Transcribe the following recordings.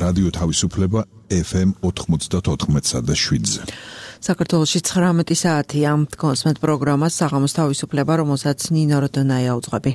რადიო თავისუფლება FM 94.7-ზე. საქართველოში 19 საათია. კონსმეთ პროგრამას საღამოს თავისუფლება, რომელსაც ნინო როდონაია უძღვები.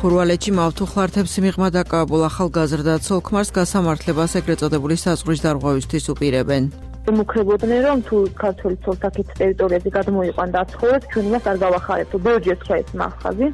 ხურვალეთში მავთუხლართებს მიღმა დაკავებულ ახალგაზრდა ცოლ-ქმარს გასამართლებას ეგრეთ წოდებული საზღვრის დარღვევისთვის უპირებენ. მოგხებოდნენ რომ თუ ქართული ცოლ-თაქის ტერიტორიაზე გადმოიყვან და ცხოვრობ, ჩვენ მას არ გავახარებთ. ბევრჯერ თქვა ეს მახაზი.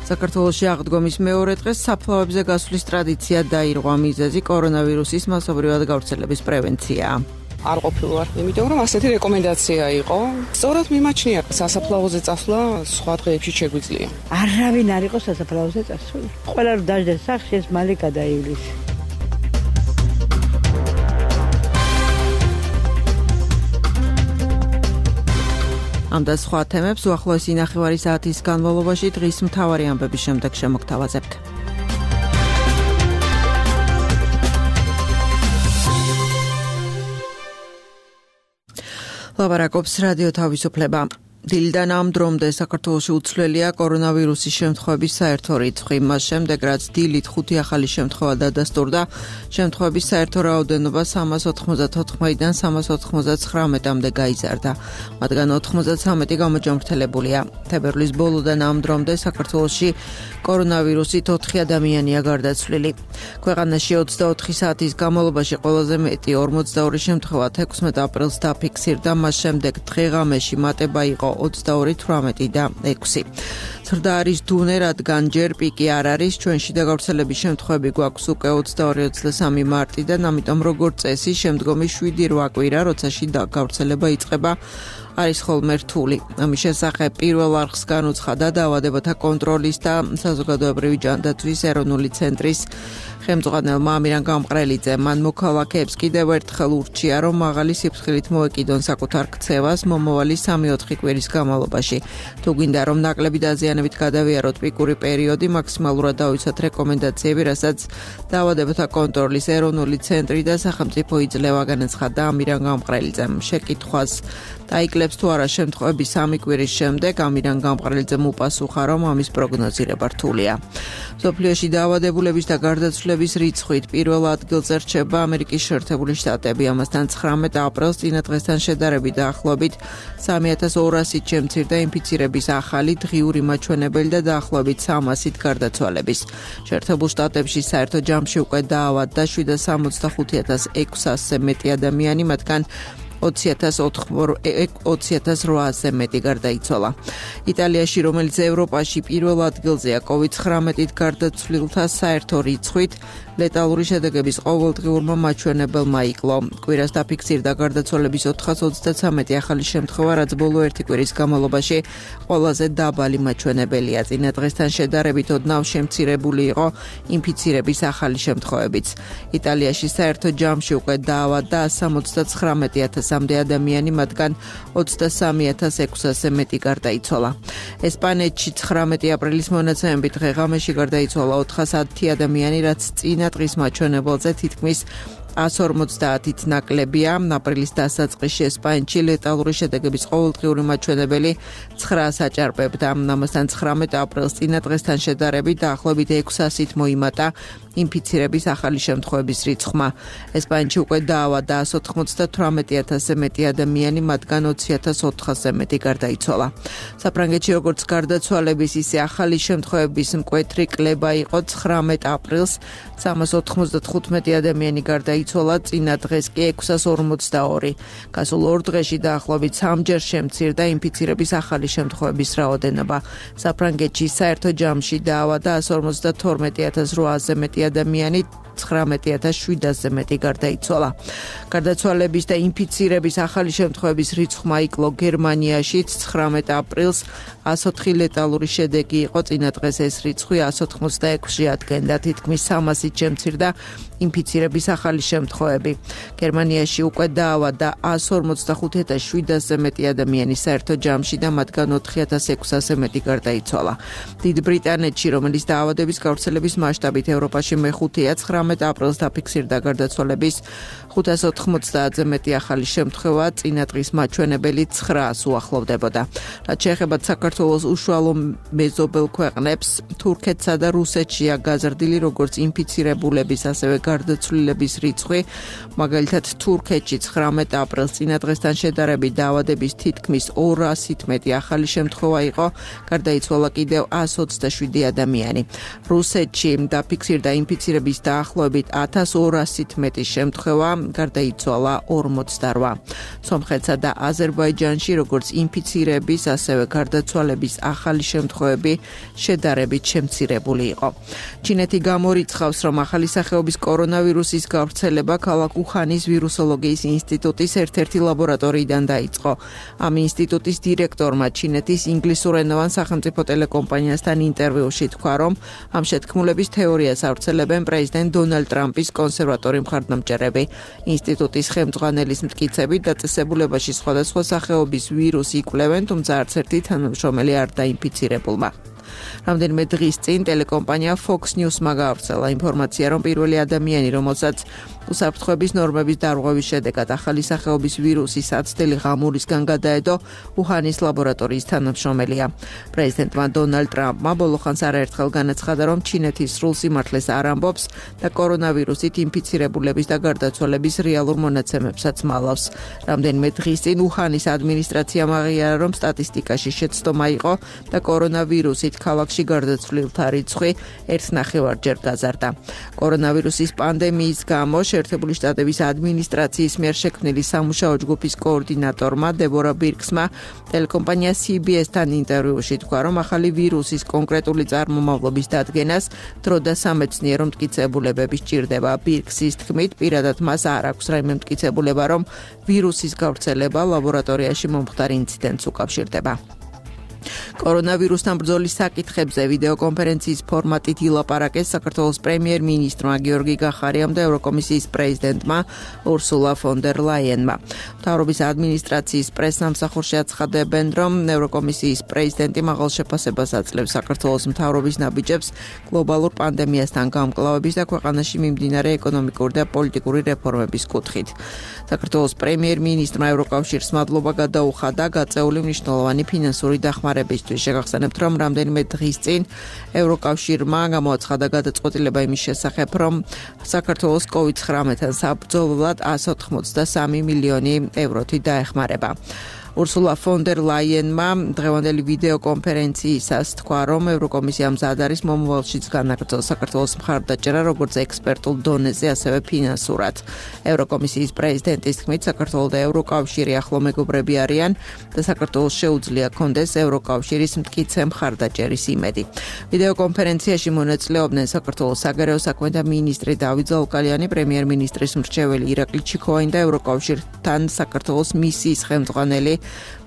საქართველოში აღდგომის მეორე დღეს საფლავებზე გასვლის ტრადიცია დაირღვა. მიზეზი კორონავირუსის მასობრივად გავრცელების პრევენციაა. არ ყოფილვარ, იმიტომ რომ ასეთი რეკომენდაცია იყო. სწორად მიმაჩნია სასაფლაოზე წასვლა სხვა დღეებში შეგვიძლია. არავინ არ იყო სასაფლაოზე წასული. ყველა რომ დაждდეს სახში ეს მალე გადაივლის. ამ და სხვა თემებს უახლოესი ნახევარი საათის განმავლობაში დღის მთავარი ამბების შემდეგ შემოგთავაზებთ. ლაპარაკობს რადიო თავისუფლება. დილიდან ამ დრომდე საქართველოში უცვლელია კორონავირუსის შემთხვევების საერთო რიცხვი. მას შემდეგ, რაც დილით 5 ახალი შემთხვევა დადასტურდა, შემთხვევების საერთო რაოდენობა 394-დან 399-მდე გაიზარდა. მათგან 93 გამოჯამრთელებულია. თებერვლის ბოლოდან ამ დრომდე საქართველოში კორონავირუსით 4 ადამიანია გარდაცვლილი. ქვეყანაში 24 საათის განმავლობაში ყველაზე მეტი 42 შემთხვევა 16 აპრილს დაფიქსირდა, მას შემდეგ დღეღამეში მატება იყო 22-18 და 6. ზრდა არის დუნე, რადგან ჯერ პიკი არ არის, ჩვენში და გავრცელების შემთხვევები გვაქვს უკვე 22-23 მარტიდან, ამიტომ როგორც წესი, შემდგომი 7-8 კვირა, როცა შიდა გავრცელება იწყება, არის ხოლმე რთული. ამის შესახებ პირველ არხს განუცხადა დაავადებათა კონტროლის და საზოგადოებრივი ჯანდაცვის ეროვნული ცენტრის ხელმძღვანელმა ამირან გამყრელიძემ. მან მოქალაქეებს კიდევ ერთხელ ურჩია, რომ მაღალი სიფრთხილით მოეკიდონ საკუთარ ქცევას მომავალი 3-4 კვირის განმავლობაში. თუ გვინდა რომ ნაკლები დაზიანებით გადავიაროთ პიკური პერიოდი, მაქსიმალურად დავიცვათ რეკომენდაციები, რასაც დაავადებათა კონტროლის ეროვნული ცენტრი და სახელმწიფო იძლევა, განაცხადა ამირან გამყრელიძემ. შეკითხვას დაიკლებს თუ არა შემთხვევები 3 კვირის შემდეგ, ამირან გამყრელიძემ უპასუხა, რომ ამის პროგნოზირება რთულია. მსოფლიოში დაავადებულების და გარდაცვლების რიცხვით პირველ ადგილზე რჩება ამერიკის შეერთებული შტატები. ამასთან 19 აპრილს წინა დღესთან შედარებით დაახლოებით 3200-ით შემცირდა ინფიცირების ახალი დღიური მაჩვენებელი და დაახლოებით 300-ით გარდაცვალების. შეერთებულ შტატებში საერთო ჯამში უკვე დაავადდა 765,600-ზე მეტი ადამიანი, მათგან 20,800-ზე მეტი გარდაიცვალა. იტალიაში, რომელიც ევროპაში პირველ ადგილზეა COVID-19-ით გარდაცვლილთა საერთო რიცხვით, ლეტალური შედეგების ყოველდღიურმა მაჩვენებელმა იკლო. კვირას დაფიქსირდა გარდაცვალების 433 ახალი შემთხვევა, რაც ბოლო 1 კვირის განმავლობაში ყველაზე დაბალი მაჩვენებელია. წინა დღესთან შედარებით ოდნავ შემცირებული იყო ინფიცირების ახალი შემთხვევებიც. იტალიაში საერთო ჯამში უკვე დაავადდა 179,000-მდე ადამიანი, მათგან 23,600-ზე მეტი გარდაიცვალა. ესპანეთში 19 აპრილის მონაცემებით დღეღამეში გარდაიცვალა 410 ადამიანი, რაც წინა დღის მაჩვენებელზე თითქმის 150-ით ნაკლებია. აპრილის დასაწყისში ესპანეთში ლეტალური შედეგების ყოველდღიური მაჩვენებელი 900-ს აჭარბებდა. ამასთან 19 აპრილს წინა დღესთან შედარებით დაახლოებით 600-ით მოიმატა ინფიცირების ახალი შემთხვევების რიცხვმა. ესპანეთში უკვე დაავადდა 198,000-ზე მეტი ადამიანი, მათგან 20,400-ზე მეტი გარდაიცვალა. საფრანგეთში როგორც გარდაცვალების, ისე ახალი შემთხვევების მკვეთრი კლება იყო 19 აპრილს 395 ადამიანი გარდაიცვალა, წინა დღეს კი 642. გასულ 2 დღეში დაახლოებით 3-ჯერ შემცირდა ინფიცირების ახალი შემთხვევების რაოდენობა. საფრანგეთში საერთო ჯამში დაავადდა 152,800-ზე მეტი ადამიანი, 19,700-ზე მეტი გარდაიცვალა. გარდაცვალების და ინფიცირების ახალი შემთხვევების რიცხვმა იკლო გერმანიაშიც 19 აპრილს 104 ლეტალური შედეგი იყო, წინა დღეს ეს რიცხვი 186-ში ადგენდა, თითქმის 300-ით შემცირდა ინფიცირების ახალი შემთხვევები. გერმანიაში უკვე დაავადდა 145,700-ზე მეტი ადამიანი საერთო ჯამში და მათგან 4,600-ზე მეტი გარდაიცვალა. დიდ ბრიტანეთში, რომელიც დაავადების გავრცელების მასშტაბით ევროპაში მეხუთეა, 19 აპრილს დაფიქსირდა გარდაცვალების 590-ზე მეტი ახალი შემთხვევა, წინა დღის მაჩვენებელი 900-ს უახლოვდებოდა. რაც შეეხება საქართველოს უშუალო მეზობელ ქვეყნებს, თურქეთსა და რუსეთშია გაზრდილი როგორც ინფიცირებულების, ასევე გარდაცვლილების რიცხვი. მაგალითად, თურქეთში 19 აპრილს წინა დღესთან შედარებით დაავადების თითქმის 200-ით მეტი ახალი შემთხვევა იყო, გარდაიცვალა კიდევ 127 ადამიანი. რუსეთში დაფიქსირდა ინფიცირების დაახლოებით 1200-ით მეტი შემთხვევა, გარდაიცვალა 48. სომხეთსა და აზერბაიჯანში როგორც ინფიცირების, ასევე გარდაცვალების ახალი შემთხვევები შედარებით შემცირებული იყო. ჩინეთი გამორიცხავს, რომ ახალი სახეობის კორონავირუსის გავრცელება ქალაქ უხანის ვირუსოლოგიის ინსტიტუტის ერთ-ერთი ლაბორატორიიდან დაიწყო. ამ ინსტიტუტის დირექტორმა ჩინეთის ინგლისურენოვან სახელმწიფო ტელეკომპანიასთან ინტერვიუში თქვა, რომ ამ შეთქმულების თეორიას ავრცელებენ პრეზიდენტ დონალდ ტრამპის კონსერვატორი მხარდამჭერები. ინსტიტუტის ხელმძღვანელის მტკიცებით, დაწესებულებაში სხვადასხვა სახეობის ვირუსი იკვლევენ, თუმცა არც ერთი თანამშრომელი არ დაინფიცირებულმა. რამდენიმე დღის წინ ტელეკომპანია Fox News-მა გაავრცელა ინფორმაცია, რომ პირველი ადამიანი, რომელსაც უსაფრთხოების ნორმების დარღვევის შედეგად ახალი სახეობის ვირუსი საცდელი ღამურისგან გადაედო, უხანის ლაბორატორიის თანამშრომელია. პრეზიდენტმა დონალდ ტრამპმა ბოლოხანს არაერთხელ განაცხადა, რომ ჩინეთის სრულ სიმართლეს არ ამბობს და კორონავირუსით ინფიცირებულების და გარდაცვალების რეალურ მონაცემებსაც მალავს. რამდენიმე დღის წინ უხანის ადმინისტრაციამ აღიარა, რომ სტატისტიკაში შეცდომა იყო და კორონავირუსით ქალაქში გარდაცვლილთა რიცხვი 1,5-ჯერ გაზარდა. კორონავირუსის პანდემიის გამო შეერთებული შტატების ადმინისტრაციის მიერ შექმნილი სამუშაო ჯგუფის კოორდინატორმა დებორა ბირქსმა ტელეკომპანია CBS-თან ინტერვიუში თქვა, რომ ახალი ვირუსის კონკრეტული წარმომავლობის დადგენას დრო და სამეცნიერო მტკიცებულებები სჭირდება. ბირქსის თქმით, პირადად მას არ აქვს რაიმე მტკიცებულება, რომ ვირუსის გავრცელება ლაბორატორიაში მომხდარ ინციდენტს უკავშირდება. კორონავირუსთან ბრძოლის საკითხებზე ვიდეოკონფერენციის ფორმატით ილაპარაკეს საქართველოს პრემიერ-მინისტრმა გიორგი გახარიამ და ევროკომისიის პრეზიდენტმა ურსულა ფონ დერ ლაიენმა. მთავრობის ადმინისტრაციის პრესსამსახურში აცხადებენ, რომ ევროკომისიის პრეზიდენტი მაღალ შეფასებას აძლევს საქართველოს მთავრობის ნაბიჯებს გლობალურ პანდემიასთან გამკლავების და ქვეყანაში მიმდინარე ეკონომიკური და პოლიტიკური რეფორმების კუთხით. საქართველოს პრემიერ-მინისტრმა ევროკავშირს მადლობა გადაუხადა გაწეული მნიშვნელოვანი ფინანსური დახმარებისთვის. შეგახსენებთ, რომ რამდენიმე დღის წინ ევროკავშირმა გამოაცხადა გადაწყვეტილება იმის შესახებ, რომ საქართველოს COVID-19-თან საბრძოლველად 183 მილიონი ევროთი დაეხმარება. ურსულა ფონ დერ ლაიენმა დღევანდელი ვიდეოკონფერენციისას თქვა, რომ ევროკომისია მზად არის მომავალშიც განაგრძოს საქართველოს მხარდაჭერა როგორც ექსპერტულ დონეზე, ასევე ფინანსურად. ევროკომისიის პრეზიდენტის თქმით, საქართველო და ევროკავშირი ახლო მეგობრები არიან და საქართველოს შეუძლია კონდეს ევროკავშირის მტკიცე მხარდაჭერის იმედი. ვიდეოკონფერენციაში მონაწილეობდნენ საქართველოს საგარეო საქმეთა მინისტრი დავით ზაუკალიანი, პრემიერ-მინისტრის მრჩეველი ირაკლი ჩიქოვანი და ევროკავშირთან საქართველოს მისიის ხელმძღვანელი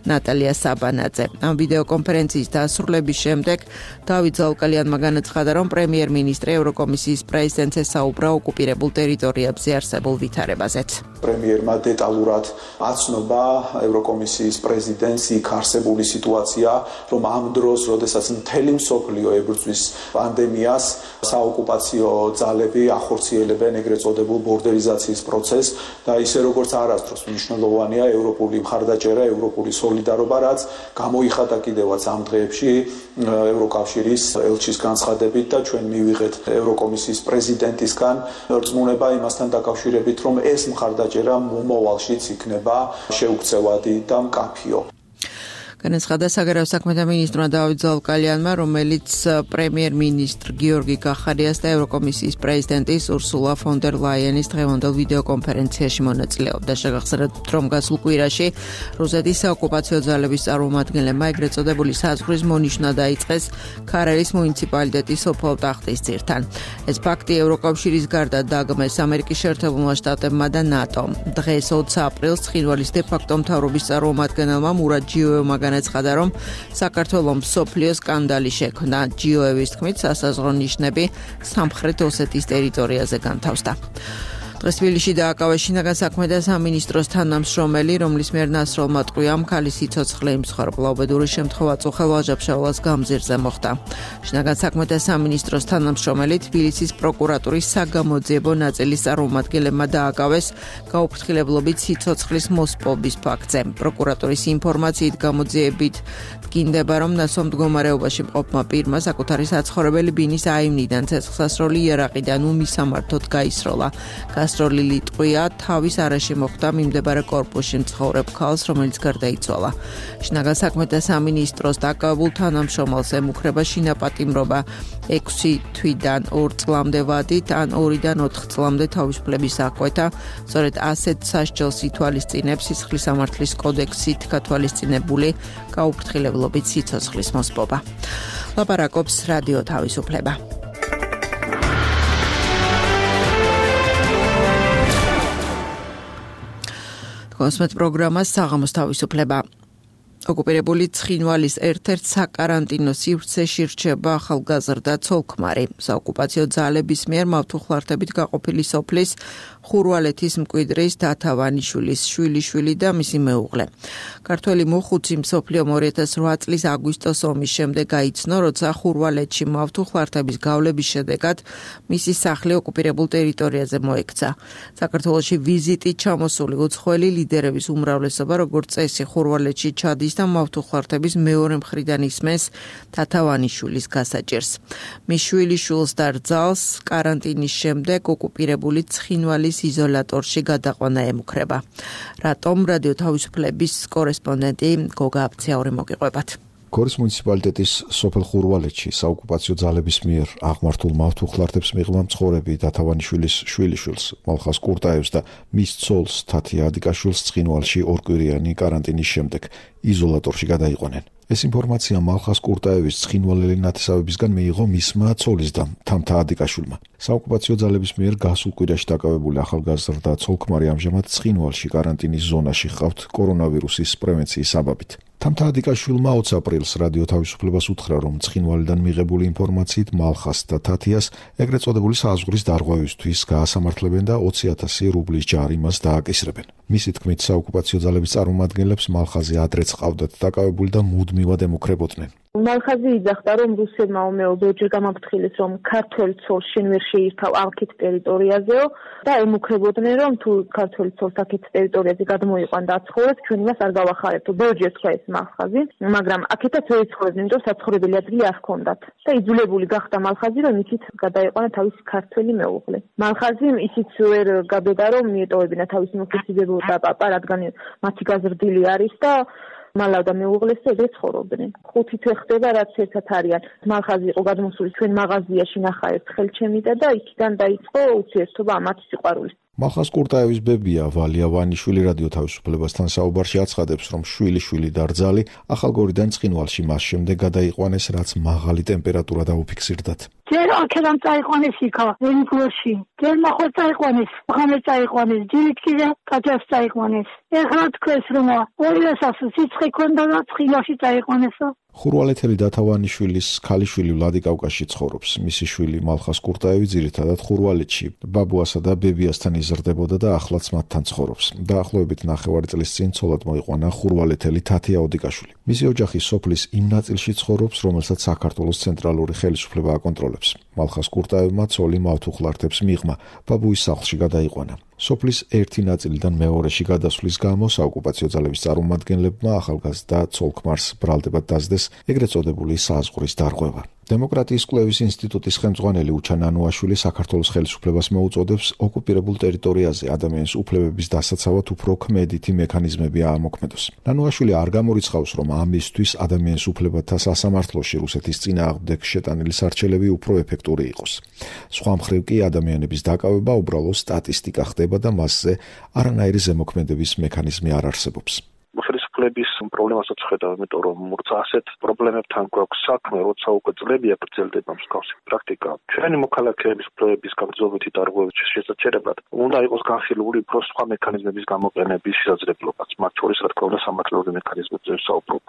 ნატალია საბანაძე. ამ ვიდეოკონფერენციის დასრულების შემდეგ დავით ზაუკალიანმა განაცხადა, რომ პრემიერ-მინისტრი ევროკომისიის პრეზიდენტს ესაუბრა ოკუპირებულ ტერიტორიებზე არსებულ ვითარებაზეც. პრემიერმა დეტალურად აცნობა ევროკომისიის პრეზიდენტს იქ არსებული სიტუაცია, რომ ამ დროს, როდესაც მთელი მსოფლიო ებრძვის პანდემიას, საოკუპაციო ძალები ახორციელებენ ეგრეთ წოდებულ ბორდერიზაციის პროცესს და ისე როგორც არასდროს მნიშვნელოვანია ევროპული მხარდაჭერა, ევროპული სოლიდარობა, რაც გამოიხატა კიდევაც ამ დღეებში ევროკავშირის ელჩის განცხადებით და ჩვენ მივიღეთ ევროკომისიის პრეზიდენტისგან რწმუნება იმასთან დაკავშირებით, რომ ეს მხარდაჭერა მომავალშიც იქნება შეუქცევადი და მკაფიო. განაცხადა საგარეო საქმეთა მინისტრმა დავით ზალკალიანმა, რომელიც პრემიერ-მინისტრ გიორგი კახარიას და ევროკომისიის პრეზიდენტის ურსულა ფონ დერ ლაიენის დღევანდელ ვიდეოკონფერენციაში მონაწილეობდა. შეგახსენებთ, რომ გასულ კვირაში რუსეთის საოკუპაციო ძალების წარმომადგენლებმა ეგრეთ წოდებული საზღვრის მონიშნა დაიწყეს ქარელის მუნიციპალიტეტის სოფელ ტახტისძირთან. ეს ფაქტი ევროკავშირის გარდა დაგმეს ამერიკის შეერთებულმა შტატებმა და ნატომ. დღეს 20 აპრილს ცხინვალის დე-ფაქტო მთავრობის წარმომადგენელმა მურად ჯიოევმა განაცხადა, რომ საქართველოს მსოფლიო სკანდალი შექმნა. ჯიოევის თქმით, სასაზღვრო ნიშნები სამხრეთ ოსეთის ტერიტორიაზე განთავსდა. დღეს თბილისში დააკავეს შინაგან საქმეთა სამინისტროს თანამშრომელი, რომლის მიერ ნასროლმა ტყვიამ ქალის სიცოცხლე იმსხვერპლა. უბედური შემთხვევა წუხელ ვაჟა-ფშაველას გამზირზე მოხდა. შინაგან საქმეთა სამინისტროს თანამშრომელი თბილისის პროკურატურის საგამოძიებო ნაწილის წარმომადგენლებმა დააკავეს გაუფრთხილებლობით სიცოცხლის მოსპობის ფაქტზე. პროკურატურის ინფორმაციით გამოძიებით დგინდება, რომ ნასვამ მდგომარეობაში მყოფმა პირმა საკუთარი საცხოვრებელი ბინის აივნიდან ცეცხლსასროლი იარაღიდან უმისამართოდ გაისროლა. გასროლილი ტყვია თავის არეში მოხდა მიმდებარე კორპუსში მცხოვრებ ქალს, რომელიც გარდაიცვალა. შინაგან საქმეთა სამინისტროს დაკავებულ თანამშრომელს ემუქრება შინაპატიმრობა 6 თვიდან 2 წლამდე ვადით ან 2-დან 4 წლამდე თავისუფლების აღკვეთა. სწორედ ასეთ სასჯელს ითვალისწინებს სისხლის სამართლის კოდექსით გათვალისწინებული გაუფრთხილებლობით სიცოცხლის მოსპობა. ლაპარაკობს რადიო თავისუფლება. კონსმეთ პროგრამას საღამოს თავისუფლება. ოკუპირებული ცხინვალის ერთ-ერთ საკარანტინო სივრცეში რჩება ახალგაზრდა ცოლ-ქმარი. საოკუპაციო ძალების მიერ მავთუხლართებით გაყოფილი სოფლის ხურვალეთის მკვიდრის დათავანიშვილის შვილიშვილი და მისი მეუღლე. ქართველი მოხუცი მსოფლიომ 2008 წლის აგვისტოს ომის შემდეგ გაიცნო, როცა ხურვალეთში მავთუხლართების გავლების შედეგად მისი სახლი ოკუპირებულ ტერიტორიაზე მოექცა. საქართველოში ვიზიტით ჩამოსული უცხოელი ლიდერების უმრავლესობა, როგორც წესი, ხურვალეთში ჩადის და მავთუხლართების მეორე მხრიდან ისმენს დათავანიშვილის გასაჭირს. მის შვილიშვილს და რძალს კარანტინის შემდეგ ოკუპირებული ცხინვალის იზოლატორში გადაყვანა ემუქრება. რატომ რადიო თავისუფლების კორესპონდენტი გოგა აფციაური მოგიყვებათ. გორის მუნიციპალიტეტის სოფელ ხურვალეთში საოკუპაციო ძალების მიერ აღმართულ მავთუხლართებს მიღმა მცხოვრები დათავანიშვილის შვილიშვილს მალხას კურტაევს და მის ცოლს თათია ადიკაშვილს ცხინვალში ორკვირიანი კარანტინის შემდეგ იზოლატორში გადაიყვანენ. ეს ინფორმაცია მალხას კურტაევის ცხინვალელი ნათესავებისგან მიიღო მისმა ცოლის და თამთა ადიკაშვილმა. საოკუპაციო ძალების მიერ გასულ კვირაში დაკავებული ახალგაზრდა ცოლ-ქმარი ამჟამად ცხინვალში კარანტინის ზონაში ჰყავთ კორონავირუსის პრევენციის საბაბით. თამთა ადიკაშვილმა 20 აპრილს რადიო თავისუფლებას უთხრა, რომ ცხინვალიდან მიღებული ინფორმაციით მალხას და თათიას ეგრეთ წოდებული საზღვრის დარღვევისთვის გაასამართლებენ და 20,000 რუბლის ჯარი მას დააკისრებენ. მისი თქმით, საოკუპაციო ძალების წარმომადგენლებს მალხაზე ადრეც ყავდათ დაკავებული და მუდმივად ემუქრებოდნენ. მალხაზი იძახდა, რომ რუსებმა ორჯერ გამაფრთხილეს, რომ ქართველ ცოლს შენ ვერ შეირთავ აქეთ ტერიტორიაზეო და ემუქრებოდნენ, რომ თუ ქართველ ცოლს აქეთ ტერიტორიაზე გადმოიყვან და აცხოვრეთ, ჩვენ იმას არ გავახარებთ. ორჯერ თქვა ეს მალხაზი, მაგრამ აქეთაც ვერ იცხოვრებდნენ, რომ საცხოვრებელი ადგილი არ ჰქონდათ. და იძულებული გახდა მალხაზი, რომ იქით გადაეყვანა თავისი ქართველი მეუღლე. მალხაზი ისიც ვერ გაბედა, რომ მიეტოვებინა თავისი მოკრძალებო და პაპა, რადგან მათი გაზრდილი არის და მალავ და მეუღლეს ეგრე ცხოვრობდნენ. 5 თვე ხდება, რაც ერთად არიან. მალხაზი იყო გადმოსული ჩვენ მაღაზიაში ნახა ერთ ხელჩემიდა და იქიდან დაიწყო ურთიერთობა ამათ სიყვარულით. მალხას კურტაევის ბებია ვალია ვანიშვილი რადიო თავისუფლებასთან საუბარში აცხადებს, რომ შვილიშვილი და რძალი ახალგორიდან ცხინვალში მას შემდეგ გადაიყვანეს, რაც მაღალი ტემპერატურა დაუფიქსირდათ. ჯერ აქედან წაიყვანეს იქა, ვენგლოში. ჯერ ნახოთ წაიყვანეს, ხამე წაიყვანეს, ჯერით კიდე კაჭას წაიყვანეს. ეხლა თქვენს რომ ორივესაც სიცხე ქონდა და ცხინვალში წაიყვანესო. ხურვალეთელი დათავანიშვილის ქალიშვილი ვლადიკავკაში ცხოვრობს. მისი შვილი მალხას კურტაევი ძირითადად ხურვალეთში ბაბუასა და ბებიასთან იზრდებოდა და ახლაც მათთან ცხოვრობს. დაახლოებით 9 წლის წინ ცოლად მოიყვანა ხურვალეთელი თათია ოდიკაშვილი. მისი ოჯახი სოფლის იმ ნაწილში ცხოვრობს, რომელსაც საქართველოს ცენტრალური ხელისუფლება აკონტროლებს. მალხას კურტაევმა ცოლი მავთუხლართებს მიღმა, ბაბუის სახლში გადაიყვანა. სოფლის ერთი ნაწილიდან მეორეში გადასვლის გამო საოკუპაციო ძალების წარმომადგენლებმა ახალგაზრდა ცოლ-ქმარს ბრალდებად დასდეს ეგრეთ წოდებული საზღვრის დარღვევა. დემოკრატიის კვლევის ინსტიტუტის ხელმძღვანელი უჩა ნანუაშვილი საქართველოს ხელისუფლებას მოუწოდებს ოკუპირებულ ტერიტორიაზე ადამიანის უფლებების დასაცავად უფრო ქმედითი მექანიზმები აამოქმედოს. ნანუაშვილი არ გამორიცხავს, რომ ამისთვის ადამიანის უფლებათა სასამართლოში რუსეთის წინააღმდეგ შეტანილი სარჩელები უფრო ეფექტური იყოს. სხვა მხრივ კი ადამიანების დაკავება უბრალოდ სტატისტიკა ხდება და მასზე არანაირი ზემოქმედების მექანიზმი არ არსებობს. ხელისუფლების პრობლემასაც ხედავ, იმიტომ რომ როცა ასეთ პრობლემებთან გვაქვს საქმე, როცა უკვე წლებია გრძელდება მსგავსი პრაქტიკა, ჩვენი მოქალაქეების უფლებების გამძლეობითი დარღვევების შესაძლებლად უნდა იყოს განხილული უფრო სხვა მექანიზმების გამოყენების შესაძლებლობაც, მათ შორის რა თქმა უნდა სამართლეობრივი მექანიზმებზე ვსაუბრობ.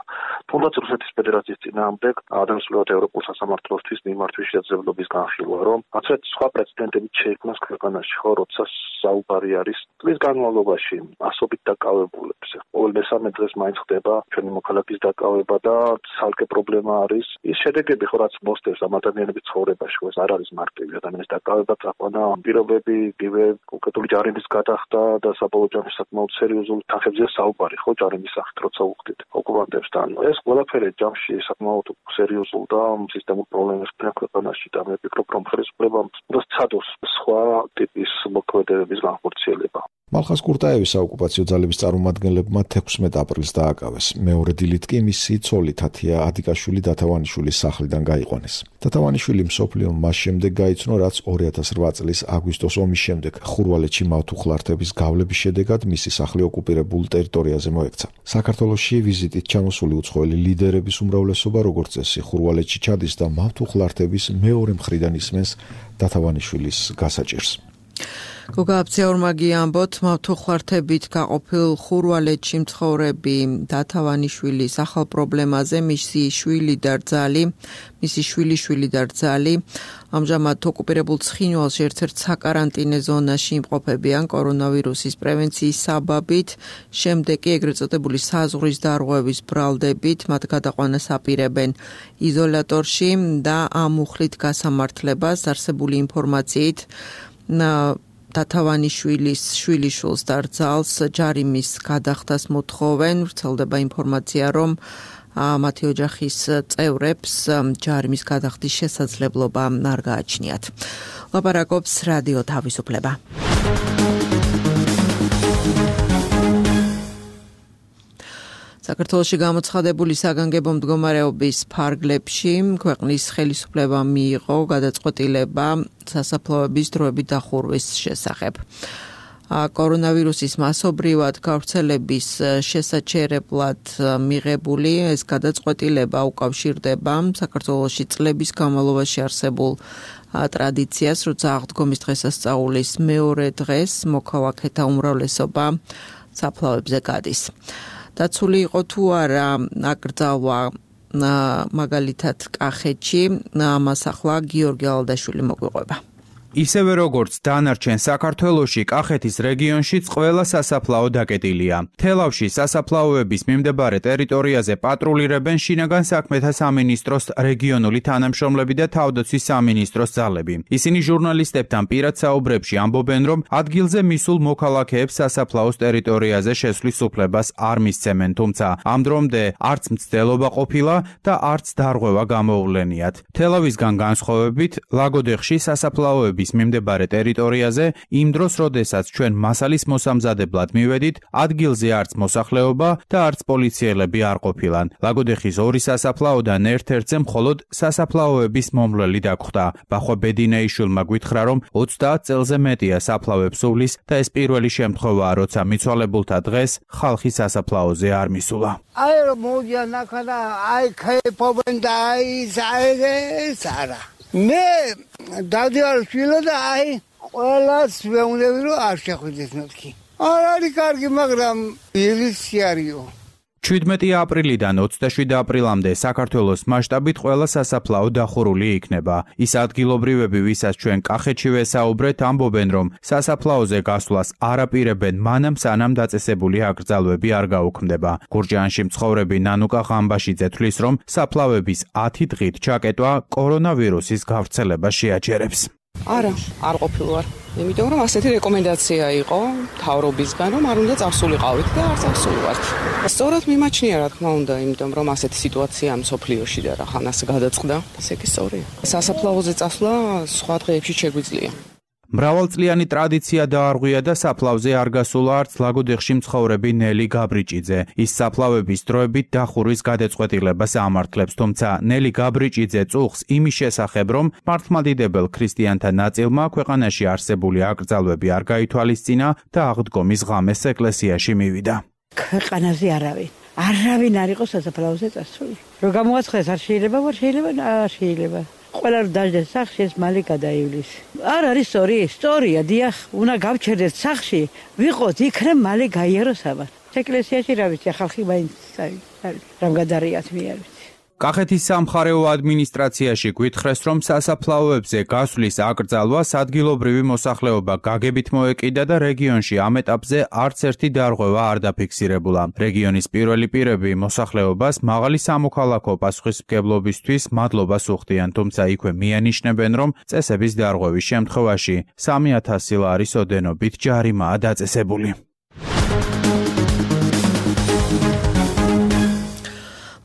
თუნდაც რუსეთის ფედერაციის წინააღმდეგ ადამიანსვლად ევროპულ სასამართლოსთვის მიმართვის შესაძლებლობის განხილვა, რომ ასეთ სხვა პრეცედენტები შეიქმნას ქვეყანაში, ხო, როცა საუბარი არის წლის განმავლობაში ასობით დაკავებულებზე. ყოველ მესამე დღეს მაინც ხდება ჩვენი მოქალაქის დაკავება და ცალკე პრობლემა არის ის შედეგები, ხო, რაც მოსდევს ამ ადამიანების ცხოვრებაში, ეს არ არის მარტივი ადამიანის დაკავება, წაყვანა პირობები, იგივე კონკრეტული ჯარიმის გადახდა და საბოლოო ჯამში საკმაოდ სერიოზული თანხებზე საუბარი, ხო, ჯარიმის სახით როცა უხდით ოკუპანტებთან. ეს ყველაფერი ჯამში საკმაოდ სერიოზულ და სისტემურ პრობლემებს ქნა ქვეყანაში და მე ვფიქრობ, რომ ხელისუფლებამ უნდა სცადოს სხვა ტიპის მოქმედებების განხორციელება. მალხაზ კურტაევის საოკუპაციო ძალების წარმომადგენლებმა 16 აპრილს დააკავეს. მეორე დილით კი მისი ცოლი თათია ადიკაშვილი დათავანიშვილის სახლიდან გაიყვანეს. დათავანიშვილი მსოფლიომ მას შემდეგ გაიცნო, რაც 2008 წლის აგვისტოს ომის შემდეგ ხურვალეთში მავთუხლართების გავლების შედეგად მისი სახლი ოკუპირებულ ტერიტორიაზე მოექცა. საქართველოში ვიზიტით ჩამოსული უცხოელი ლიდერების უმრავლესობა როგორც წესი ხურვალეთში ჩადის და მავთუხლართების მეორე მხრიდან ისმენს დათავანიშვილის გასაჭირს. გოგა აფციაურმაგი ამბობთ, მავთუხლართებით გაყოფილ ხურვალეთში მცხოვრები დათავანიშვილის ახალ პრობლემაზე მისი შვილიშვილი და რძალი ამჟამად ოკუპირებულ ცხინვალში ერთ-ერთ საკარანტინე ზონაში იმყოფებიან კორონავირუსის პრევენციის საბაბით, შემდეგ კი ეგრეთ წოდებული საზღვრის დარღვევის ბრალდებით მათ გადაყვანას აპირებენ იზოლატორში და ამ მუხლით გასამართლებას არსებული ინფორმაციით დათავანიშვილის შვილიშვილს და რძალს ჯარიმის გადახდას მოთხოვენ. ვრცელდება ინფორმაცია, რომ მათი ოჯახის წევრებს ჯარიმის გადახდის შესაძლებლობა არ გააჩნიათ. ლაპარაკობს რადიო თავისუფლება. საქართველოში გამოცხადებული საგანგებო მდგომარეობის ფარგლებში ქვეყნის ხელისუფლებამ მიიღო გადაწყვეტილება სასაფლაოების დროებით დახურვის შესახებ. კორონავირუსის მასობრივად გავრცელების შესაჩერებლად მიღებული ეს გადაწყვეტილება უკავშირდება საქართველოში წლების განმავლობაში არსებულ ტრადიციას, როცა აღდგომის დღესასწაულის მეორე დღეს მოქალაქეთა უმრავლესობა საფლავებზე გადის. დაცული იყო თუ არა აკრძალვა მაგალითად კახეთში, ამას ახლა გიორგი ალდაშვილი მოგვიყვება. ისევე როგორც დანარჩენ საქართველოში, კახეთის რეგიონშიც ყველა სასაფლაო დაკეტილია. თელავში სასაფლაოების მიმდებარე ტერიტორიაზე პატრულირებენ შინაგან საქმეთა სამინისტროს რეგიონული თანამშრომლები და თავდაცვის სამინისტროს ძალები. ისინი ჟურნალისტებთან პირად საუბრებში ამბობენ, რომ ადგილზე მისულ მოქალაქეებს სასაფლაოს ტერიტორიაზე შესვლის უფლებას არ მისცემენ, თუმცა ამ დრომდე არც მცდელობა ყოფილა და არც დარღვევა გამოუვლენიათ. თელავისგან განსხვავებით, ლაგოდეხში სასაფლაოების მიმდებარე ტერიტორიაზე იმ დროს, როდესაც ჩვენ მასალის მოსამზადებლად მივედით, ადგილზე არც მოსახლეობა და არც პოლიციელები არ ყოფილან. ლაგოდეხის ორი სასაფლაოდან ერთ-ერთზე მხოლოდ სასაფლაოების მომვლელი დაგხვდა. ბახვა ბედინეიშვილმა გითხრა, რომ 30 წელზე მეტია საფლავებს სუვლის და ეს პირველი შემთხვევაა, როცა მიცვალებულთა დღეს ხალხი სასაფლაოზე არ მისულა. აი რომ მოდიან ახლა აი ქეფობენ და ეს არა. მე დავდივარ შვილო და აი ყველას ვეუბნები რომ არ შეხვიდეს მეთქი. არ არის კარგი, მაგრამ ილისი არისო. 17 აპრილიდან 27 აპრილამდე საქართველოს მასშტაბით ყველა სასაფლაო დახურული იქნება. ის ადგილობრივები, ვისაც ჩვენ კახეთში ვესაუბრეთ, ამბობენ, რომ სასაფლაოზე გასვლას არ აპირებენ მანამ სანამ დაწესებული აკრძალვები არ გაუქმდება. გურჯაანში მცხოვრები ნანუკა ღამბაშიძე თვლის, რომ საფლავების 10 დღით ჩაკეტვა კორონავირუსის გავრცელებას შეაჩერებს. არა, არ ყოფილვარ. იმიტომ რომ ასეთი რეკომენდაცია იყო მთავრობისგან, რომ არ უნდა წავსულიყავით და არ წავსულიყავთ. სწორად მიმაჩნია, რა თქმა უნდა, იმიტომ რომ ასეთი სიტუაცია მსოფლიოში და რა ხან ასე გადაწყდა, ესე კი სწორია. სასაფლაოზე წასვლა სხვა დღეებში შეგვიძლია. მრავალწლიანი ტრადიცია დაარღვია და საფლავზე არ გასულა არც ლაგოდეხში მცხოვრები ნელი გაბრიჭიძე. ის საფლავების დროებით დახურვის გადაწყვეტილებას ამართლებს, თუმცა ნელი გაბრიჭიძე წუხს იმის შესახებ, რომ მართლმადიდებელ ქრისტიანთა ნაწილმა ქვეყანაში არსებული აკრძალვები არ გაითვალისწინა და აღდგომის ღამეს ეკლესიაში მივიდა. ქვეყანაზე არავინ არ იყო სასაფლაოზე წასული. რომ გამოაცხადოს არ შეიძლება. ყველა რომ დაждდეს სახში ეს მალე გადაივლის. არ არის სწორია, დიახ, უნდა გავჩერდეს სახში, ვიყოთ იქნებ მალე გაიაროს ამას. ეკლესიაში რა ვიცი, ხალხი მაინც რამ გადარიათ მე არ ვიცი. კახეთის სამხარეო ადმინისტრაციაში გვითხრეს, რომ სასაფლაოებზე გასვლის აკრძალვას ადგილობრივი მოსახლეობა გაგებით მოეკიდა და რეგიონში ამ ეტაპზე არც ერთი დარღვევა არ დაფიქსირებულა. რეგიონის პირველი პირები მოსახლეობას მაღალი სამოქალაქო პასუხისმგებლობისთვის მადლობას უხდიან, თუმცა იქვე მიანიშნებენ, რომ წესების დარღვევის შემთხვევაში 3,000 ლარის ოდენობით ჯარიმაა დაწესებული.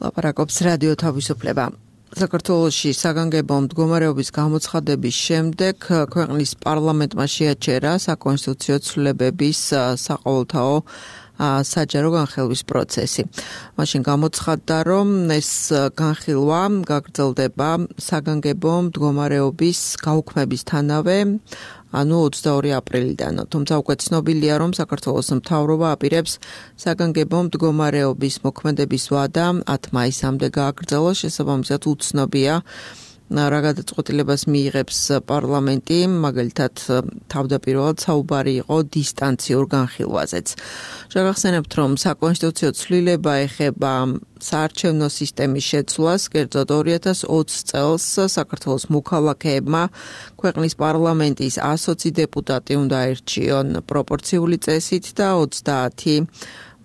ლაპარაკობს რადიო თავისუფლება. საქართველოში საგანგებო მდგომარეობის გამოცხადების შემდეგ ქვეყნის პარლამენტმა შეაჩერა საკონსტიტუციო ცვლილებების საყოველთაო საჯარო განხილვის პროცესი. მაშინ გამოცხადდა, რომ ეს განხილვა გაგრძელდება საგანგებო მდგომარეობის გაუქმებისთანავე, ანუ 22 აპრილიდან. თუმცა უკვე ცნობილია, რომ საქართველოს მთავრობა აპირებს საგანგებო მდგომარეობის მოქმედების ვადა 10 მაისამდე გააგრძელოს, შესაბამისად უცნობია რა გადაწყვეტილებას მიიღებს პარლამენტი, მაგალითად თავდაპირველად საუბარი იყო დისტანციურ განხილვაზეც. შეგახსენებთ, რომ საკონსტიტუციო ცვლილება ეხება საარჩევნო სისტემის შეცვლას, კერძოდ 2020 წელს საქართველოს მოქალაქეებმა ქვეყნის პარლამენტის 120 დეპუტატი უნდა აირჩიონ პროპორციული წესით და 30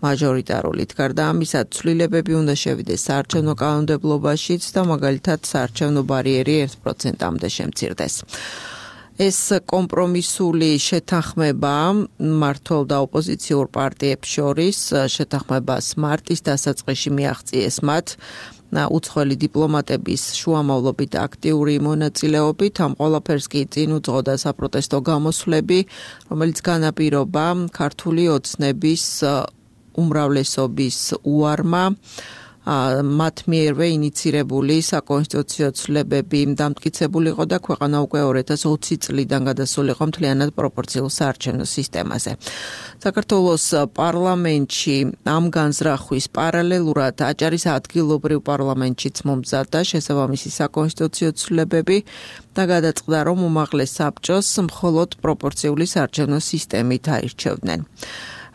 მაჟორიტარულით. გარდა ამისა, ცვლილებები უნდა შევიდეს საარჩევნო კანონმდებლობაშიც და მაგალითად საარჩევნო ბარიერი 1%-მდე შემცირდეს. ეს კომპრომისული შეთანხმება მმართველ და ოპოზიციურ პარტიებს შორის შეთანხმებას მარტის დასაწყისში მიაღწიეს მათ უცხოელი დიპლომატების შუამავლობით აქტიური მონაწილეობით. ამ ყველაფერს კი წინ უძღოდა საპროტესტო გამოსვლები, რომელიც განაპირობა ქართული ოცნების უმრავლესობის უარმა მათ მიერვე ინიცირებული საკონსტიტუციო ცვლილებები დამტკიცებული იყო და ქვეყანა უკვე 2020 წლიდან გადასულიყო მთლიანად პროპორციულ საარჩევნო სისტემაზე. საქართველოს პარლამენტში ამ განზრახვის პარალელურად აჭარის ადგილობრივ პარლამენტშიც მომზადდა შესაბამისი საკონსტიტუციო ცვლილებები და გადაწყდა, რომ უმაღლეს საბჭოს მხოლოდ პროპორციული საარჩევნო სისტემით აირჩევდნენ.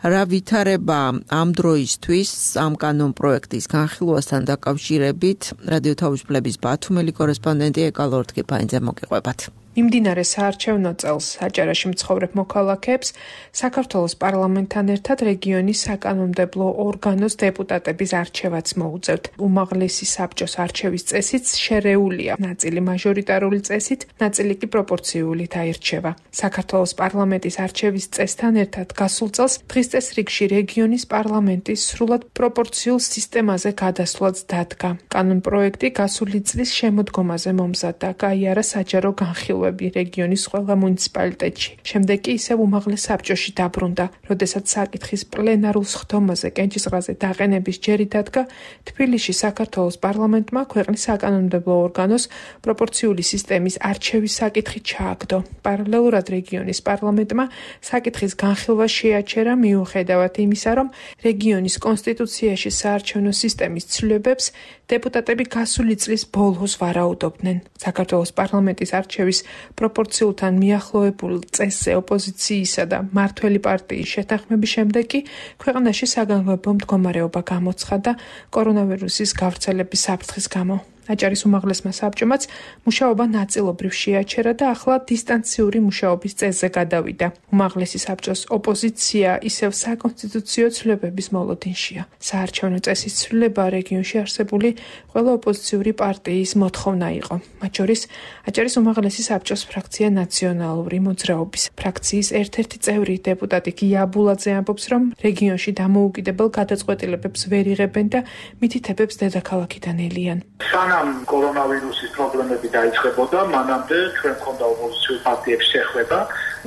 რა ვითარება ამ დროისთვის ამ კანონპროექტის განხილვასთან დაკავშირებით რადიო თავისუფლების ბათუმელი კორესპონდენტი ეკალო ორთქიფანიძე მოგიყვებათ. მიმდინარე საარჩევნო წელს აჭარაში მცხოვრებ მოქალაქეებს საქართველოს პარლამენტთან ერთად რეგიონის საკანონმდებლო ორგანოს დეპუტატების არჩევაც მოუწევთ. უმაღლესი საბჭოს არჩევის წესიც შერეულია, ნაწილი მაჟორიტარული წესით, ნაწილი კი პროპორციულით აირჩევა. საქართველოს პარლამენტის არჩევის წესთან ერთად გასულ წელს დღის წესრიგში რეგიონის პარლამენტის სრულად პროპორციულ სისტემაზე გადასვლაც დადგა. კანონპროექტი გასული წლის შემოდგომაზე მომზადდა, გაიარა საჯარო განხილვა რეგიონის ყველა მუნიციპალიტეტში. შემდეგ კი ისევ უმაღლეს საბჭოში დაბრუნდა. როდესაც საკითხის პლენარულ სხდომაზე კენჭისყრაზე დაყენების ჯერი დადგა, თბილისში საქართველოს პარლამენტმა ქვეყნის საკანონმდებლო ორგანოს პროპორციული სისტემის არჩევის საკითხი ჩააგდო. პარალელურად რეგიონის პარლამენტმა საკითხის განხილვა შეაჩერა მიუხედავად იმისა, რომ რეგიონის კონსტიტუციაში საარჩევნო სისტემის ცვლილებებს დეპუტატები გასული წლის ბოლოს ვარაუდობდნენ. საქართველოს პარლამენტის არჩევის პროპორციულთან მიახლოებულ წესზე ოპოზიციისა და მმართველი პარტიის შეთანხმების შემდეგ კი ქვეყანაში საგანგებო მდგომარეობა გამოცხადდა კორონავირუსის გავრცელების საფრთხის გამო. აჭარის უმაღლესმა საბჭომაც მუშაობა ნაწილობრივ შეაჩერა და ახლა დისტანციური მუშაობის წესზე გადავიდა. უმაღლესი საბჭოს ოპოზიცია ისევ საკონსტიტუციო ცვლილებების მოლოდინშია. საარჩევნო წესის ცვლილება რეგიონში არსებული ყველა ოპოზიციური პარტიის მოთხოვნა იყო. მათ შორის აჭარის უმაღლესი საბჭოს ფრაქცია ნაციონალური მოძრაობის ფრაქციის ერთ-ერთი წევრი დეპუტატი გია ბულაძე ამბობს, რომ რეგიონში დამოუკიდებელ გადაწყვეტილებებს ვერ იღებენ და მითითებებს დედაქალაქიდან ელიან. სანამ კორონავირუსის პრობლემები დაიწყებოდა, მანამდე ჩვენ მქონდა ოპოზიციურ პარტიებს შეხვედრა,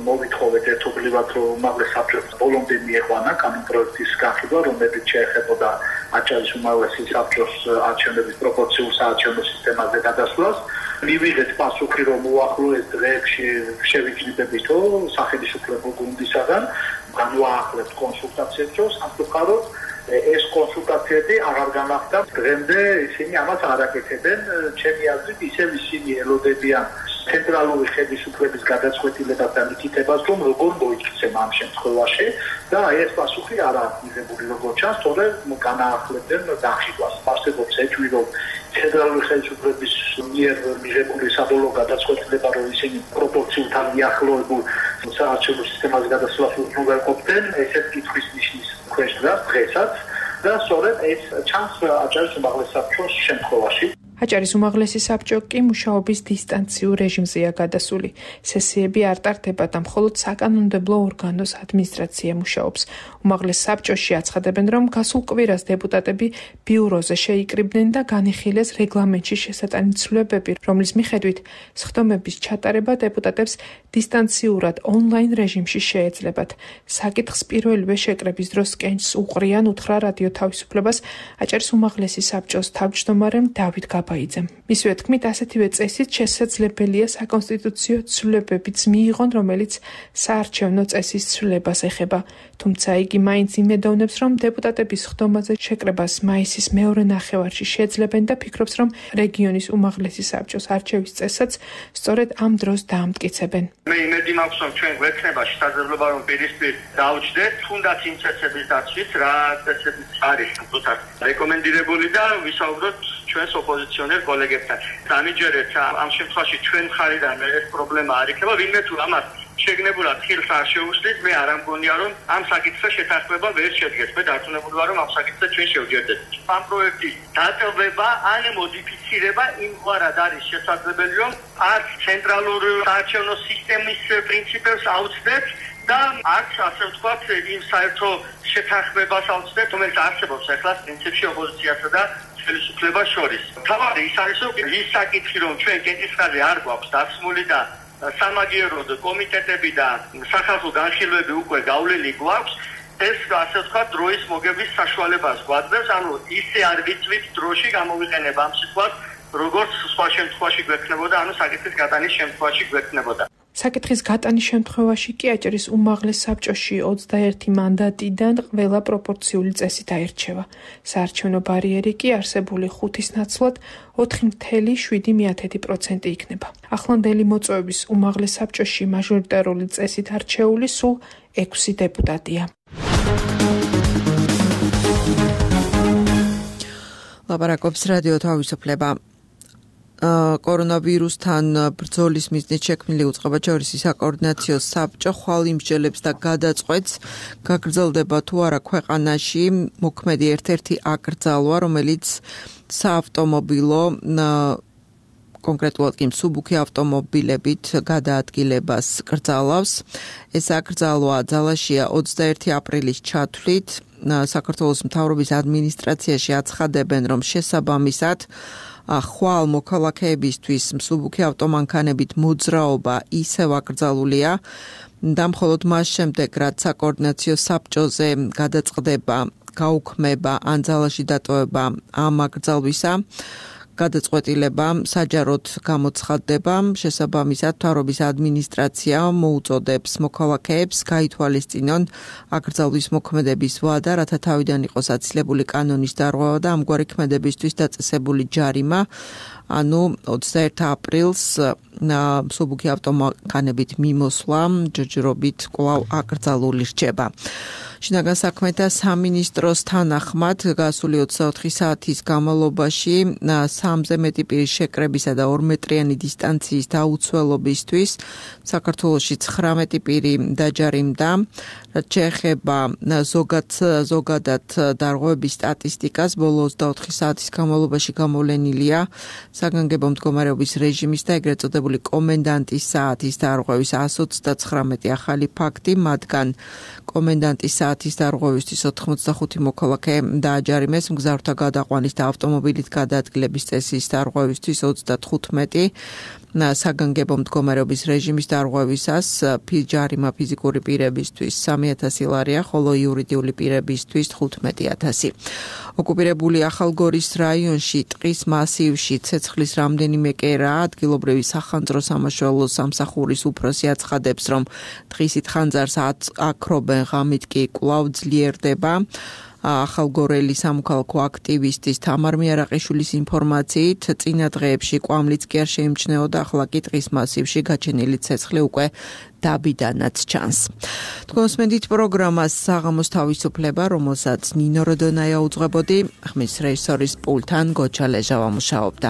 მოვითხოვეთ ერთობლივად, რომ უმაღლეს საბჭოს ბოლომდე მieხვანა კანონპროექტის განხილვა, რომელიც შეეხებოდა აჭარის უმაღლესი საბჭოს არჩევნების პროპორციულ საარჩევნო სისტემაზე გადასვლას. მივიღეთ პასუხი, რომ უახლოეს დღეებში შევიჯნებებითო სახელმწიფო გუნდისაგან განვაახლებთ კონსულტაციებს, რომ სამწუხაროდ ეს კონსულტაციები აღარ განახდა. დღემდე ისინი ამას არ აკეთებენ. ჩემი აზრით, ისევ ისინი ელოდებიან ცენტრალური ხელისუფლების გადაწყვეტილებას და მითითებას, რომ როგორ მოიქცემ ამ შემთხვევაში და ეს პასუხი არ აქვს მიღებული, როგორც ჩანს, თორემ განაახლებდნენ დახილვას. არსებობს ეჭვი, რომ ცენტრალური ხელისუფლების მიერ მიღებული საბოლოო გადაწყვეტილება, რომ ისინი პროპორციულთან მიახლოებულ საარჩევნო სისტემაზე გადასვლას უზრუნველყოფდნენ, ესეც კითხვის ნიშნის ქვეშ დგას დღესაც და სწორედ ეს ჩანს აჭარის უმაღლეს საბჭოს შემთხვევაში. აჭარის უმაღლესი საბჭო კი მუშაობის დისტანციურ რეჟიმზეა გადასული. სესიები არ ტარდება და მხოლოდ საკანონმდებლო ორგანოს ადმინისტრაცია მუშაობს. უმაღლეს საბჭოში აცხადებენ, რომ გასულ კვირას დეპუტატები ბიუროზე შეიკრიბნენ და განიხილეს რეგლამენტში შესატანი ცვლილებები, რომლის მიხედვით სხდომების ჩატარება დეპუტატებს დისტანციურად ონლაინ რეჟიმში შეეძლებათ. საკითხს პირველივე შეკრების დროს კენჭს უყრიან უთხრა რადიო თავისუფლებას აჭარის უმაღლესი საბჭოს თავმჯდომარემ დავით ბაიძემ. მისივე თქმით, ასეთივე წესით შესაძლებელია საკონსტიტუციო ცვლილებებიც მიიღონ, რომელიც საარჩევნო წესის ცვლილებას ეხება. თუმცა იგი მაინც იმედოვნებს, რომ დეპუტატების ხდომაზე შეკრებას მაისის მეორე ნახევარში შეძლებენ და ფიქრობს, რომ რეგიონის უმაღლესი საბჭოს არჩევის წესაც სწორედ ამ დროს დაამტკიცებენ. მე იმედი მაქვს, რომ ჩვენ გვექნება შესაძლებლობა, რომ პირისპირ დავჯდეთ, თუნდაც იმ წესების დაცვით, რა წესებიც არის უბრალოდ რეკომენდირებული და ვისაუბროთ ჩვენს ოპოზიციონერ კოლეგებთან. დამიჯერეთ ამ შემთხვევაში ჩვენ მხარიდან ეს პრობლემა არ იქნება, ვინმე თუ ამას შეგნებულად ხილს არ შეუსწრით, მე არ ამგონია, რომ ამ საკითხზე შეთანხმება ვერ შედგეს. მე დარწმუნებული ვარ, რომ ამ საკითხზე ჩვენ შევჯერდეთ. ამ პროექტის დატოვება ან მოდიფიცირება იმგვარად არის შესაძლებელი, რომ არც ცენტრალური საარჩევნო სისტემის პრინციპებს აუცდეთ და არც ასე ვთქვათ, იმ საერთო შეთანხმებას აუცდეთ, რომელიც არსებობს ახლა პრინციპში ოპოზიციასა და ხელისუფლებას შორის. თავარი ის არის, რომ ის საკითხი, რომ ჩვენ კენჭისყრაზე არ გვაქვს დასმული და სამაგიეროდ კომიტეტები და სახალხო განხილვები უკვე გავლილი გვაქვს, ეს ასე ვთქვათ, დროის მოგების საშუალებას გვაძლევს, ანუ ისე არ ვიცვით დროში გამოვიყენება ამ სიტყვას, როგორც სხვა შემთხვევაში გვექნებოდა, ანუ საკითხის გატანის შემთხვევაში გვექნებოდა. საკითხის გატანის შემთხვევაში კი აჭარის უმაღლეს საბჭოში 21 მანდატიდან ყველა პროპორციული წესით აირჩევა. საარჩევნო ბარიერი კი არსებული 5-ის ნაცვლად 4.7% იქნება. ახლანდელი მოწვევის უმაღლეს საბჭოში მაჟორიტარული წესით არჩეული სულ 6 დეპუტატია. ლაპარაკობს რადიო თავისუფლება. კორონავირუსთან ბრძოლის მიზნით შექმნილი უწყებაჯვარისი საკოორდინაციო საბჭო ხვალ იმსჯელებს და გადაწყვეტს გაგრძელდება თუ არა ქვეყანაში მოქმედი ერთ-ერთი აკრძალვა, რომელიც საავტომობილო კონკრეტულად კი მსუბუქი ავტომობილებით გადაადგილებას კრძალავს. ეს აკრძალვა ძალაშია 21 აპრილის ჩათვლით. საქართველოს მთავრობის ადმინისტრაციაში აცხადებენ, რომ შესაბამისად ხვალ მოქალაქეებისთვის მსუბუქი ავტომანქანებით მოძრაობა ისევ აკრძალულია და მხოლოდ მას შემდეგ, რაც საკოორდინაციო საბჭოზე გადაწყდება გაუქმება ან ძალაში დატოვება ამ აკრძალვისა, გადაწყვეტილება საჯაროდ გამოცხადდება. შესაბამისად, მთავრობის ადმინისტრაცია მოუწოდებს მოქალაქეებს გაითვალისწინონ აკრძალვის მოქმედების ვადა, რათა თავიდან იყოს აცილებული კანონის დარღვევა და ამგვარი ქმედებისთვის დაწესებული ჯარიმა ანუ 21 აპრილს მსუბუქი ავტომანქანებით მიმოსვლა ჯერჯერობით კვლავ აკრძალული რჩება. შინაგან საქმეთა სამინისტროს თანახმად გასული 24 საათის განმავლობაში 3-ზე მეტი პირის შეკრებისა და 2 მეტრიანი დისტანციის დაუცველობისთვის საქართველოში 19 პირი დაჯარიმდა. რაც შეეხება ზოგადად დარღვევების სტატისტიკას, ბოლო 24 საათის განმავლობაში გამოვლენილია საგანგებო მდგომარეობის რეჟიმის და ეგრეთ წოდებული კომენდანტის საათის დარღვევის 129 ახალი ფაქტი, მათგან კომენდანტის საათის დარღვევისთვის 85 მოქალაქე დააჯარიმეს, მგზავრთა გადაყვანის და ავტომობილით გადაადგილების წესის დარღვევისთვის 35, საგანგებო მდგომარეობის რეჟიმის დარღვევისას ჯარიმა ფიზიკური პირებისთვის 3000 ლარია, ხოლო იურიდიული პირებისთვის 15,000. ოკუპირებული ახალგორის რაიონში ტყის მასივში ცეცხლის რამდენიმე კერაა. ადგილობრივი სახანძრო სამაშველო სამსახურის უფროსი აცხადებს, რომ ტყისით ხანძარს აკრობენ, ღამით კი კვლავ ძლიერდება. ახალგორელი სამოქალაქო აქტივისტის თამარ მიარაყიშვილის ინფორმაციით, წინა დღეებში კვამლიც კი არ შეიმჩნეოდა, ახლა კი ტყის მასივში გაჩენილი ცეცხლი უკვე დაბიდანაც ჩანს. თქვენს მედით პროგრამას საღამოს თავისუფლება, რომელსაც ნინო როდონაია უძღვებოდი, ხმის რეჟისორის პულთან გოჩა ლეჟავა მუშაობდა.